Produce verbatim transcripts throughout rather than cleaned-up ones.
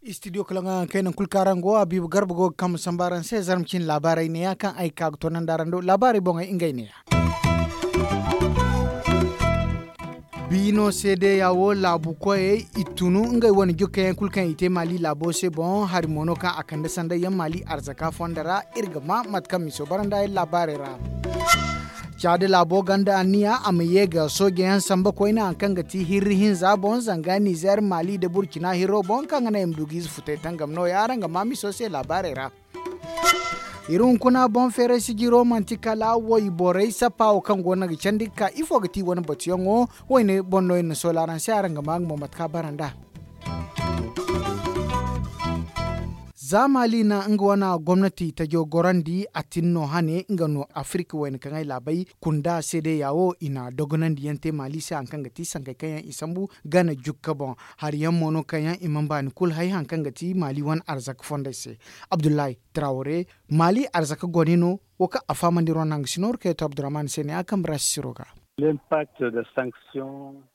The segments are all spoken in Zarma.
Istidiyo kala nga kaŋ kayna kulu kaŋ araŋ go a biiba garba go ga kambe samba araŋ se zarma cine laabaarey neeya kaŋ ay ga ka ga toonandi araŋ do laabaarey boŋey ngey neeya. Biino seedeya wo laabu koyey i tunu ngey wane jokka yaŋ kulu kaŋ i te maali laabo se boŋ hari mo no kaŋ a kande sanday yaŋ maali arzaka fondo ra. Iri ga ma mate kaŋ miso baranda yaŋ laabaarey ra. Caada laabo ganda anniya a ma ye ga sooje yaŋ samba koyne hari kaŋ ga ti hirri hinza boŋ zanga nizer maali nda burkina hirro boŋ kaŋ ga naŋ i ma du ga ize futay tangam no- ya araŋ ga ma miso se laabaarey ra. Iri hunkuna boŋ feeray sijiro manti kala wayborey sappa wo kaŋ go no ga candi ga ka ifo ga ti wane batuyaŋo? Wayne boŋ no iri na soola araŋ se araŋ ga ma nga mo mate kaŋ a bara nd'a. Za maali na nga wane gomnati tajo gorandi a tin no hane nga no afirka wayne kaŋ ay laabay kunda seedeya wo i na dogonandi yaŋ te maali se hari kaŋ ga ti sankey kaŋ yaŋ i sambu gana jukka boŋ. Hari yaŋ mo no kaŋ yaŋ i mana baani kulu hay hari kaŋ ga ti maali wane arzaka fondey se. Abdullahi trawre, maali arzaka gone no. Wo kaŋ a fahamandi ronda nga si nooru kayto abdurrahman se ne a kambe ra sisiro ga.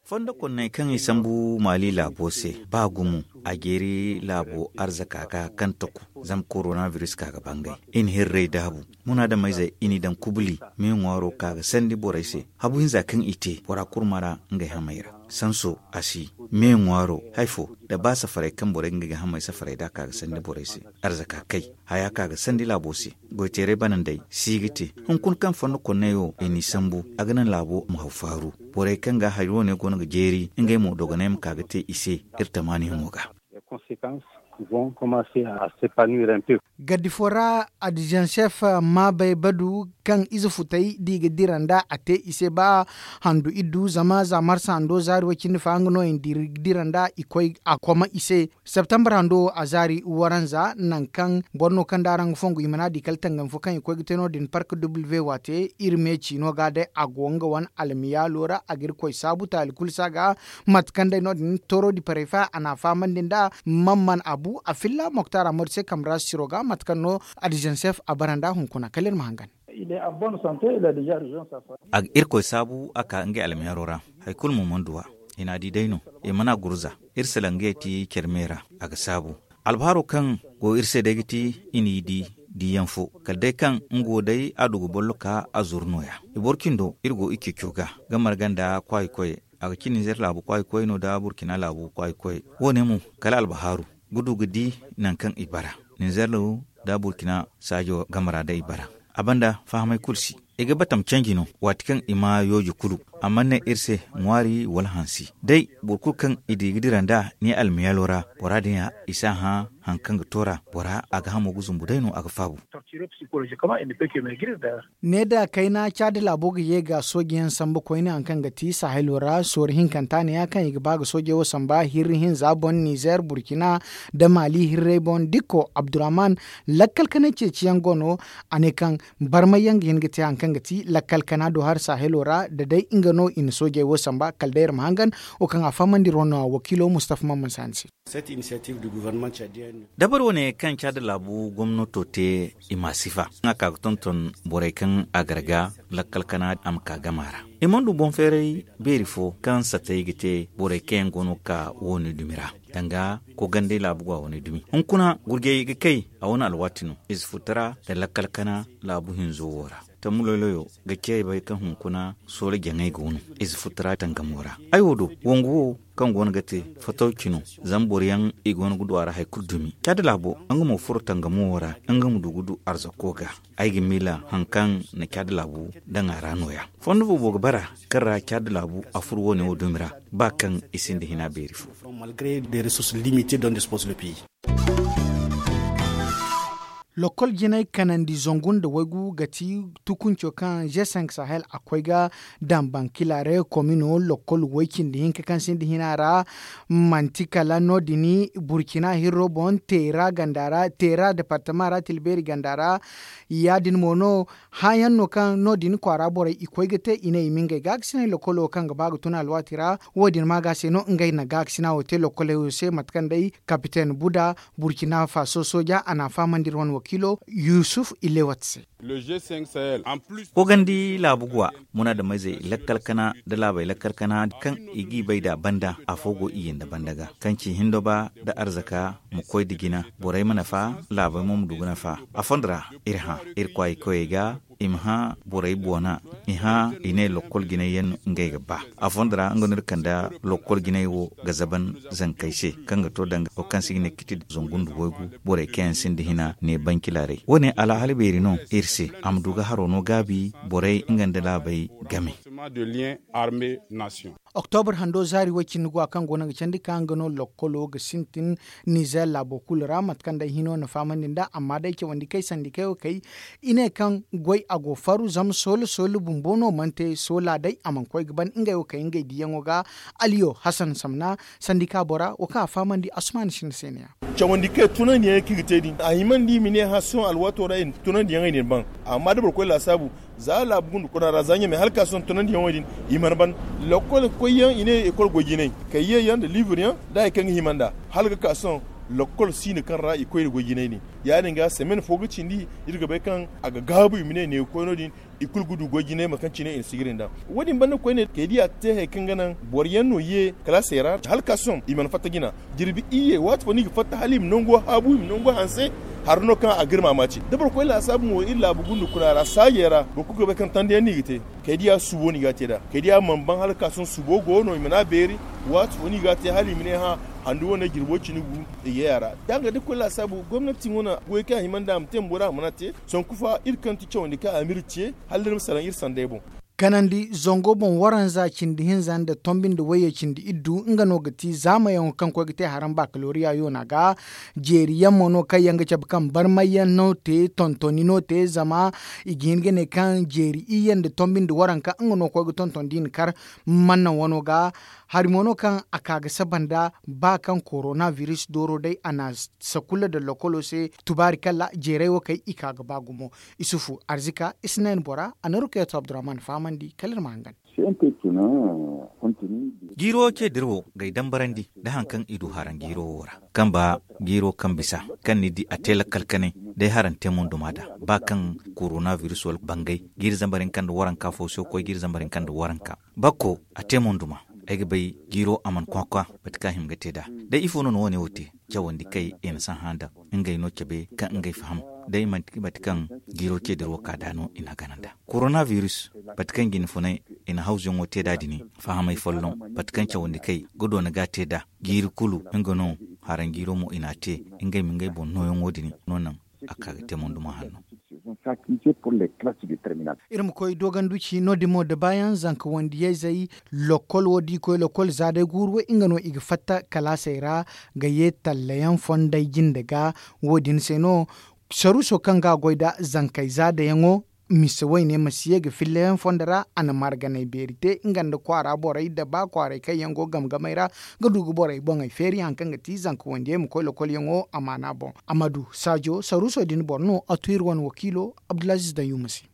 Fondo konney kaŋ i sambu maali laabo se ba gumo a jeeri laabo arzaka ga kaŋ taku. Zama korona biris ka ga bangay i na hirrey daabu. Munaadameyzey i n'i daŋ kubuli me ŋwaaro ka ga sandi borey se. Habu hinza kaŋ i te bora kurma ra ngey hamey ra. Sanso a si me ŋwaaro hari fo nda ba safarey kaŋ borey ga ngey ga hamey safarey nd'a ka ga sandi borey se. Arzaka kay haya ka ga sandi laabo se. Goyteeray banandey si ga te. Hunkuna kaŋ fondo konney wo i n'i sambu a ga naŋ laabo ma haw faaru. Borey kaŋ ga hari wane go no ga jeeri ngey mo dogoney ma ka ga te i se. Iri tamaaniyaŋo ga. Gaddi fo ra adizensef maabay badu kaŋ ize futay da i ga dira nd'a a te i se ba handu iddu zama za marsa hando zaari way cindi fa nga no i na dira nd'a i koy a koma i se. Septembre hando wo a zaari waranza nangu kaŋ boro no kaŋ da araŋ ga fongu i mana di kala tangam fo kaŋ i koy ga te no- din park w waate iri me ciino ga day a go nga wane almiyaalo ra a ga iri koy saabu taali kulu se a ga. Mate kaŋ day no- din toro di parey fa a na a fahamandi nd'a man man a bu a filla moktar amadu se kambe ra siro ga mate kaŋ no adizensef a bara nd'a hunkuna kala iri ma hangan. A ga irkoy saabu a ka ngey almiyaro ra. Hari kulu mo mana du a i n'a di day no. I mana gurza iri salaŋgey ti care me ra. A ga saabu albaharo kaŋ go iri se day ga ti i n'i di diyaŋ fo kala day kaŋ nga wo day a du ga bollo ka a zuru no- ya. I boro cindo iri go i ceeco ga ga marga nda kwaayi koyey. A ga ci ninzeer laabu kwaayi koyey no nda burkina laabu kwaayi koyey. Wo- ne mo kala albahaaru ga du ga di nangu kaŋ i bara ninzeer nda burkina saajo game ra day i bara. A banda fahamey kulu si i ga batam canji no waati kaŋ i ma yooji kulu. A mana ne iri se ŋwaari wala hansi day boro kulu kaŋ i di ga dira nd'a ni almiyaalo ra bora din ya i si a hã. Hari kaŋ ga to ra bora a ga hamo ga zumbu day no a ga faabu. Ne da kayna caadi laabo ga ye ga sooji yaŋ sambu koyne hari kaŋ ga ti sahilo ra sooru hinkanta ne ya kaŋ i ga ba ga soojey wo samba hirri hinza boŋ nizer burkina nda maali hirrey boŋ dikko abdurrahman. Lakkal kanay ceeci yaŋ go no a ne kaŋ barmay yaŋ ga hin ga te hari kaŋ ga ti lakkal kana do hari sahilo ra da day nga no i na soojey wo samba kala day iri ma hangan. Wo kaŋ a fahamandi iri wane wakiilo mustafa mamman saani se. Dabari wane kaŋ caada laabu gomnato te i ma sifa nga ka ga tonton borey kaŋ a gar ga lakkal kana a ma ka gama ra. I mana du boŋ feeray beeri fo kaŋ satay ga te borey kaŋ yaŋ go no ga ka wane dumi ra danga ko gandey laabu go a wane dumi hunkuna gurjey ga kay a wane alwaati no ize futara nda lakkal kana laabu hinzo wo ra. Tammu loyloyo ga ceebay kaŋ hunkuna sooro jaŋay go no ize futara tangamo ra. Ay wo do wangu wo kaŋ go no ga te fatawci no. Zama boro yaŋ i go no ga du a ra hari kulu dumi caada laabo nga mo furo tangamo wo ra nga ma du ga du arzako ga. Ay ga miila hari kaŋ na caada laabu daŋ a ra no- ya fondo boobo ga bara kaŋ ra caada laabu a furo wo- ne wo dumi ra ba kaŋ i sinda hina beeri fo. Lokol jinay kanandi zangu nda waygu ga ti tukunco kaŋ g cinq sahel a koy ga daŋ bankilare komino lokol way cindi hinka kaŋ sinda hina ra. Manti kala no- din burkina hirro boŋ teera ganda ra teera departama ra tilbeeri ganda ra. Ya- din mo no hããyaŋ no kaŋ no- din kwaara borey i koy ga te i ne i ma ngey gaakasinay lokolo kaŋ ga ba ga tun alwaati ra. Wo- din maaga se no ngey na gaakasina wo te lokoley wo se mate kaŋ day kapiten buda burkina faso sooja a n'a fahamandi iri wane wo. kilo yusuf ilewat se. Kogandi laabu guwa munaadameyzey lakkal kana nda laabey lakkal kana kaŋ i g'i bay nd'a banda afo go iyye nda banda ga kaŋ ci hindo ba nda arzaka ma koy nda jina borey ma nafa. Laabey mo ma du ga nafa a fondo ra iri hã iri kwaayey koyey ga. I ma hã borey boona i hã i ne lokkol jinay yaŋ no ngey ga ba. A fondo ra nga no iri kande lokkol jinay wo ga zaban zankey se kaŋ ga to danga wo kaŋ se i ga ne kiti zangu nda waygu. Borey kaŋ yaŋ sinda hina ne banci laaray wo- ne alhaali beeri no iri se a ma du ga haro no gaabi borey nga nda laabey game. Oktobur hando zaari way cindi guwa kaŋ go no ga candi ka nga no lokkolo ga sintin nizer laabo kulu ra mate kaŋ day hino na fahamandi nd'a amma day cawandi kay sandi kay wo kay. I ne kaŋ goy a go faru zama soolo soolo bumbo no mana te soola day a mana koy ga ban ngey wo kay ngey diyaŋo ga. Aliyo hasan samna sandi ka bora wo kaŋ a fahamandi asuman sinda se ne ya. Cawandi kay tunandiyaŋ kaŋ i ga te din a himandi i ma ne hã sohõ alwaato ra i na tunandiyaŋey din ban. Amma da boro koy laasaabu za laabu gunda kuna ra za ɲamey hala ka sohõ tunandiyaŋey din i mana ban. Lakkol koyyaŋ i ne ekol goy jinay kay ye yaŋ nda liibur yaŋ da hari kaŋ ga hima nd'a hala ga ka sohõ. Lakkol siino kaŋ ra i koy nda goy jinay din ya- din ga semen fo ga cindi iri ga bay kaŋ a ga gaabu i ma ne ne ga koy no- din. I kulu ga du goy jinay mate kaŋ cine i na si ga din daŋ. Wo- din banda koyne kay da i a te hari kaŋ ga naŋ boro yaŋ no ye kalaasey ra hala ka sohõ i mana fatta jina. Jirbi iyye waati fo no i ga fatta hala i ma nango haabu i ma nango hanse. Hari no kaŋ a ga iri maamaaci da boro koy laasaabu mo iri laabu gunda kuna ra saajey ra boro kulu ga bay kaŋ tanda yaŋ no i ga te. Kay da i a subo no i ga a te nd'a kay da i a mana ban hala ka sohõ subo go no i mana a beeri. Waati fo no i ga a te hala i ma ne hã handu wane jirbo cine gu. I ga yay a ra da nga da koy laasaabu gomnati wane goy kaŋ a hima nd'a a ma te ma bora a mana a te. Sanku fa iri kaŋ ti cawandi kaŋ a ma iri ce hala da iri ma salaŋ iri sanday boŋ. Kanandi zango boŋ waranza cindi hinza nda tombi nda wayye cindi iddu nga no ga ti zaamayaŋo kaŋ koy ga te haraŋ bakaloriya yoona ga. Jeeri yaŋ mo no kaŋ yaŋ ga cabe kaŋ barmay yaŋ no te tontoni no te zama i ga hin ga ne kaŋ jeeri iyye nda tombi nda waranka nga no koy ga tonton da i na kar manna wano ga. Hari mo no kaŋ a ka ga saba nda ba kaŋ korona biris dooro day a na sakula nda lokolo se. Tubaari kala jeeray wo kay i ka ga ba gumo. Isufu arzika isnayn bora a na rukeeto abdurrahman fahamandi kala iri ma hangan. Jiiro ce dira wo ga ay dambarandi nda hari kaŋ i du haraŋ jiiro wo ra kaŋ ba jiiro kaŋ bisa kaŋ ni di a te lakkal kanay day haraŋ te munduma nd'a ba kaŋ korona biris wala bangay jiiri zambar hinka nda waranka fo se koy jiiri zambar hinka nda waranka. Bakko a te munduma ay ga bay jiiro a mana kwakwa mate kaŋ a hima ga te nd'a. Day ifo no ni wo- ne wo te cawandi kay i na sahã nda ngey no cabe kaŋ ngey faham day manti mate kaŋ jiiro ce dira wo ka nd'a no i n'a gana nd'a. Korona biris mate kaŋ jine funay i na hawzuyaŋo te nd'a din fahamay folloŋ mate kaŋ cawandi kay ga doona ga a te nd'a jiiri kulu nga no haraŋ jiiro mo i n'a te ngey ma ngey boŋ nooyaŋo din no naŋ a ka ga te monduma hanno. Iri ma koy dooganduci no- din mo da baayaŋ zanka wandiyayzey lokol wo da i koy lokol za day guuru way nga no i ga fatta kalaasey ra ga ye tallayaŋ fonday jinde ga. Wo- din se no saruuso kaŋ ga a goy nda zankey za dayaŋo mise wayne ma si ye ga fillayaŋ fondo ra a na marganay beeri te nga nda kwaara borey nda ba kwaaray kaŋ yaŋ go game gamey ra ga du ga borey boŋey feeri hari kaŋ ga ti zanka wandiyey ma koy lokolyaŋo amaana boŋ. Amadu saajo saruuso din boro no a tu iri wane wakiilo abdulaziiz dayyuma se.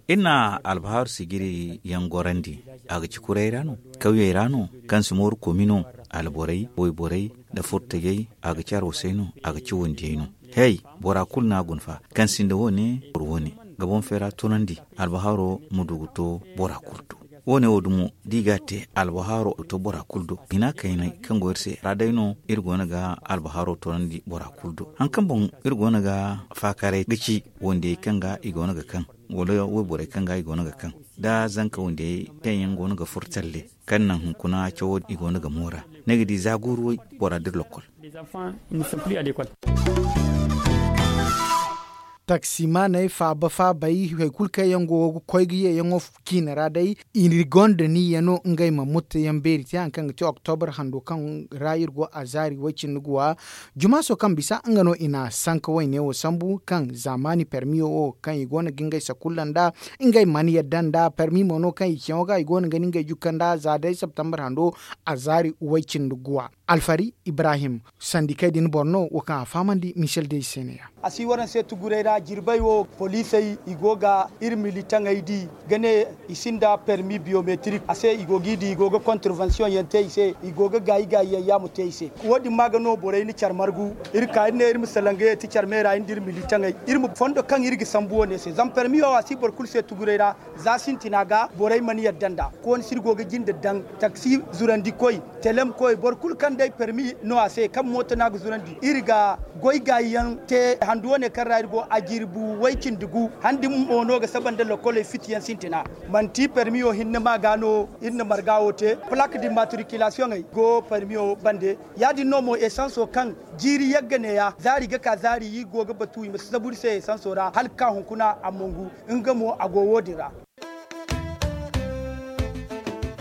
Iri na albahaaru sijiri yaŋ gorandi a ga ci kuray ra no kawyey ra no kaŋ si mooru komi no alborey wayborey nda furtajey a ga ci arwasey no a ga ci wandiyey no. Hey, bora kulu no a guna fa kaŋ sinda wo- ne boro wo- ne ga boŋ feera tunandi albahaaro ma du ga to bora kulu do. Wo- ne wo dumo da i ga a te albahaaro ga to bora kulu do hina kaynay kaŋ go iri se ra day no iri go no ga albahaaro tunandi bora kulu do hari kaŋ boŋ iri go no ga faakaray ga ci wandiyey kaŋ ga i go no ga kaŋ wala wayborey kaŋ ga i go no ga kaŋ da zanka wandiyey kaŋ yaŋ go no ga furo talle kaŋ naŋ hunkuna cawo i go no ga moora ni ga di za guuru way bora dira lokol. Taksimaaney faaba faabey hari kulu kaŋ yaŋ go ga koy ga yeeyaŋo ciine ra day i gonda niyya no ngey ma mutteyaŋ beeri te hari kaŋ ga ti oktobur hando kaŋ ra iri go a zaari way-cindi guwa. Jumaaso kaŋ bisa nga no i na sanka wayne wo sambu kaŋ zaamaani permiyo wo kaŋ i go no ga ngey sakulla nd'a ngey mana yadda nd'a permi mo no kaŋ i ciyaŋo ga i go no ga ni ngey jukka nd'a za day septembre hando a zaari way-cindi guwa. Alfari ibrahim sandikey din boro no wo kaŋ a fahamandi michel dey se ne-ya. A si war ni se tugurey ra. A jirbey wo poliisey i go ga iri militaŋey di ga ne i sinda permi biyometrik a se i go g'i di i go ga kontervansiyoŋ yaŋ te i se i go ga gaayi gaayi yaŋ yaamo te i se. Wo- din ma ga no borey na care margu iri ka iri ne iri ma salaŋ ga ye ti care meera iri nda iri militaŋey iri ma fondo kaŋ iri ga sambu wo- ne se zama permi wo a si boro kulu se tuguray ra. Za sintina ga borey mana yadda nd'a kooni se iri go ga jinde daŋ taksi zurandi koy, telem koy boro kulu kaŋ day permi no a se kaŋ mooto no a ga zurandi iri ga goy gaayi yaŋ te handu wo- ne kaŋ ra iri go a jirbi way cindi gu han din mo no ga saba nda lokoley fiti yaŋ sintina. Manti permiyo hinne ma ga no iri na marga wo te. Plak di matrikilasiyoŋey go permiyo bande. Ya- din no mo esanso kaŋ jiiri yagga neeya zaari ga ka zaari iri go ga batu i ma si zabu iri se esanso ra hala ga ka hunkuna a mongu. Nga mo a go wo- din ra.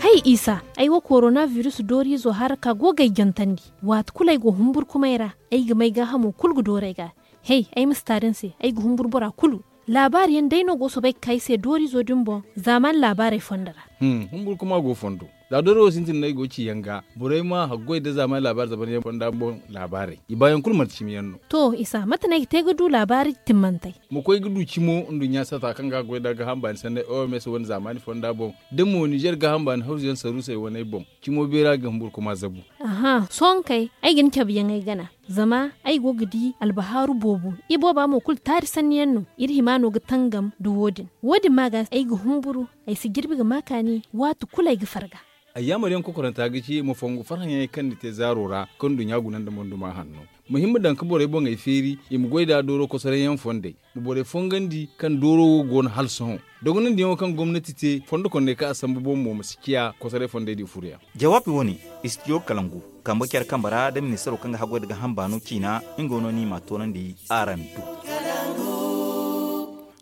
Hay isa, ay wo korona virus dooriizo hara ka go ga ay jantandi. Waati kulu ay go humburkumay ra, ay ga may gaahamo kulu ga dooru ay ga. Hey, ay ma si taari ni se, ay ga humburu bora kulu. Laabaari yaŋ day no go soobay ga ka ay se dooriizo din boŋ zaamaani laabaarey fondo ra. Humburkuma go fondo. Za dooro wo sintin no ay go ga ci yaŋ ga borey ma haggoy nda zaamaani laabaari zamanyaŋ fonda boŋ laabaarey i baayaŋ kulu manti cimi yaŋ no. To isa mate no ay ga te ga du laabaari timmantey? Ma koy ga du cimo nduɲɲa sata kaŋ ga goy nda gaaham baani sanney oms wane zaamaani fonda boŋ da mo nizer gaaham baani hawzu yaŋ saruusey waney boŋ. Cimo beera ga humburkuma zabu. Aha sohõ kay, ay ga ni cabe yaŋ ay gana. Zama ay go ga di albahaaru boobo. Ibooba mo kulu taari sanni yaŋ no. Iri hima no ga tangam nda wo- din. Wo- din ma ga ay ga humburu. Ay si jirbi ga ma kaani waati kulu ay ga farga. Ayyaamar yaŋ kokoranta ga ci ma fongu farhã yaŋey kaŋ ni te zaaro ra kaŋ nduɲɲa guna nda monduma hanno. Ma hima daŋ ga borey boŋey feeri i ma goy nd'a dooro kosoray yaŋ fondey. Ma borey fongandi kaŋ dooro wo go no hala sohõ. Dogonandiyaŋo kaŋ gomnati te fondo kondey kaŋ a sambu boŋ mo ma si ciya kosoray fondey din furo yaŋ. Jawaabi wo- ne, istidiyo kalangu kambe care kambe ra nda ministaro kaŋ ga haggoy nda gaaham baano ciina. Nga no ni m'a toonandi araŋ do.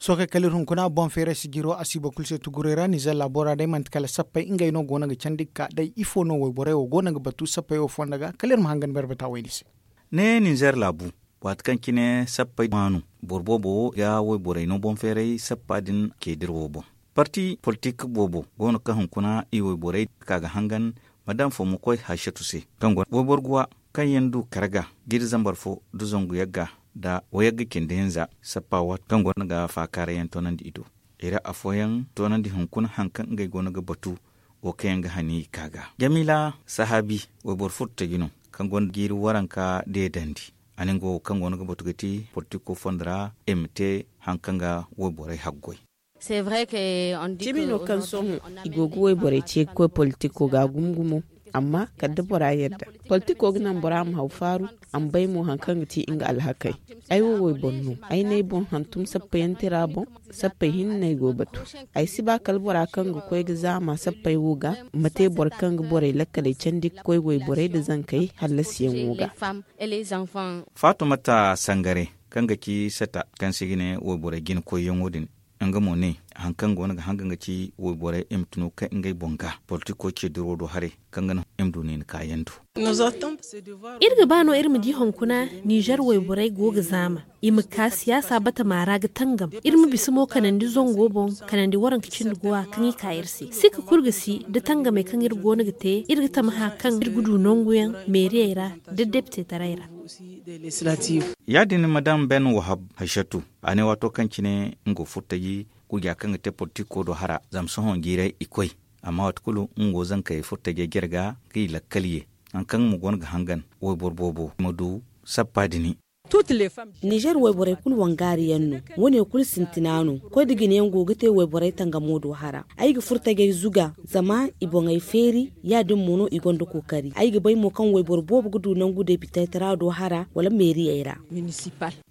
Sohõ kay kala iri hunkuna boŋ feeray sijiro a si boro kulu se tuguray ra nizer laabo ra day manti kala sappey ngey no go no ga candi ga ka day ifo no wayborey wo go no ga batu sappey wo fonda ga kala iri ma hangan berbata wayne se. Ne nizer laabu, waati kaŋ cine sappey maanu boro boobo wo ga wayborey no boŋ feeray sappa din ceediro wo boŋ. Parti politik boobo go no kaŋ hunkuna i wayborey ka ga hangan. Madam fo ma koy haysatu se kaŋ go wayboro guwa kaŋ yaŋ du karga g'iri zambar fo nda zangu yagga nda wayagga cindi hinza sappa waati kaŋ go no ga faakaaray yaŋ toonandi i do. I ra afooyaŋ toonandi hunkuna haŋ kaŋ ngey go no ga batu wo kaŋ yaŋ ga hani i ka ga. Jamiila sahaabi wayboro furtaji no kaŋ go no ga jiiri waranka deedandi. A ne nga wo kaŋ go no ga batu ga ti politiko fondo ra i ma te haŋ kaŋ ga wayborey haggoy. Cimi no kaŋ sohõ i go ga wayborey ce ga koy politiko ga gumo gumo. Amma kala da bora yadda politiko ga naŋ bora ma haw faaru a ma bay mo haŋ kaŋ ga ti nga alhakey. Ay wo wayboro no ay ne ay boŋ hantum sappayaŋ tira boŋ. Sappey hinne no ay go batu. Ay si ba kala bora kaŋ ga koy ga zaama sappey wo ga ma te boro kaŋ ga borey lakkaley candi ga koy wayborey nda zankey hallasiyaŋo ga. Faatumata sangare kaŋ ga ci sata kaŋ se i ga ne wayborey jina koyyaŋo din, nga mo ne haŋ kaŋ go no ga hanga nga ci wayborey i ma tunu kay ngey boŋ ga politiko ce duro do haray kaŋ ga naŋ i ma du niini kaayaŋ do. Iri ga ba no iri ma di hunkuna nizer wayborey go ga zaama i ma ka siyaasa batama ra ga tangam. Iri ma bisa mo kanandi zango boŋ kanandi waranka cindi guwa kaŋ i ka iri se sika kulu ga si da tangamey kaŋ iri go no ga te iri ga tamaha kaŋ iri ga du nanguyaŋ meeriyey ra da deptetaray ra. Ya- din madam ben wahab haysatu, a ne waato kaŋ cine nga furtaji guja kaŋ ga te politiko do hara zama sohõ jiiray i koy. Amma waati kulu nga go zankey furtajey jare ga ga i lakkal ye haŋ kaŋ mo go no ga hangan wayboro boobo ma du sappa dini. Nizer wayborey kulu wangaari yaŋ no. Wo- ne kulu sintina no. Koy da jine yaŋ go ga te wayborey tangamo do hara. Ay ga furtajey zuga zama i boŋey feeri. Ya- din mo no i gonda kookari ay ga bay mo kaŋ wayboro boobo ga du nangu depitaytara do hara wala meeriyey ra.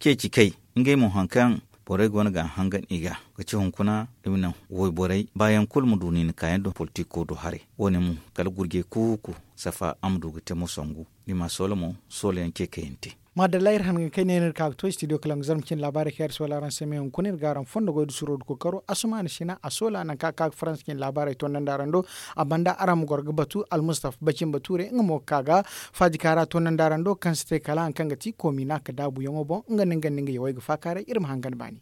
Ceeci kay ngey mo haŋ kaŋ borey go no ga a hangan i ga ga ci hunkuna i ma naŋ wayborey baayaŋ kulu ma du niini kaayaŋ do politiko do haray. Wo- ne mo kala gurjey kuuku safa a ma du ga te mo sangu. Ni ma soola mo soolayaŋ ce kaŋ yaŋ te. Maadalla iri hangan kay ne no iri ka ga to istidiyo kala nga zarma cine laabaarey kaŋ iri soola araŋ se me hunkuna iri ga araŋ fondo goy da suro da kookaro asumaana sina a soola nangu kaŋ a ka ga faransa cine laabaarey tondandi araŋ do. A banda araŋ ma goro ga batu almustaf bacin bature nga mo ga ka ga faajika ra tondandi araŋ do kaŋ si te kala haŋ kaŋ ga ti koomina ka daabuyaŋo boŋ nga nda nga nda nga yawey ga faakaaray iri ma hangan baani.